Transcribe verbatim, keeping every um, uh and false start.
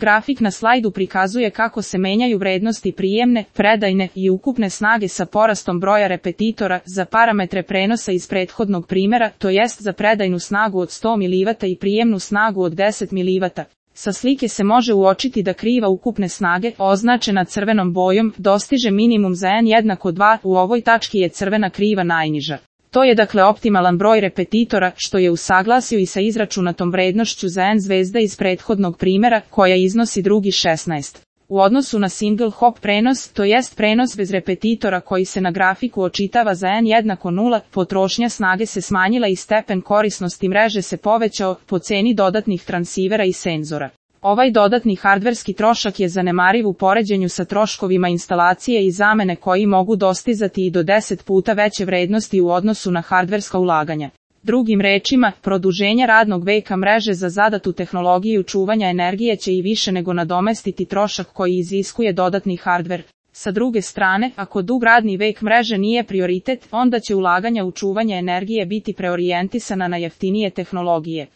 Grafik na slajdu prikazuje kako se menjaju vrednosti prijemne, predajne i ukupne snage sa porastom broja repetitora za parametre prenosa iz prethodnog primjera, to jest za predajnu snagu od sto milivatova i prijemnu snagu od deset milivatova. Sa slike se može uočiti da kriva ukupne snage, označena crvenom bojom, dostiže minimum za n jednako dva, u ovoj tački je crvena kriva najniža. To je dakle optimalan broj repetitora, što je u saglasju i sa izračunatom vrednošću za n zvezda iz prethodnog primjera, koja iznosi drugi šesnaest. U odnosu na single hop prenos, to jest prenos bez repetitora koji se na grafiku očitava za n jednako nula, potrošnja snage se smanjila i stepen korisnosti mreže se povećao po ceni dodatnih transivera i senzora. Ovaj dodatni hardverski trošak je zanemariv u poređenju sa troškovima instalacije i zamene koji mogu dostizati i do deset puta veće vrednosti u odnosu na hardverska ulaganja. Drugim rečima, produženje radnog veka mreže za zadatu tehnologiju čuvanja energije će i više nego nadomestiti trošak koji iziskuje dodatni hardver. Sa druge strane, ako dug radni vek mreže nije prioritet, onda će ulaganja u čuvanje energije biti preorijentisana na jeftinije tehnologije.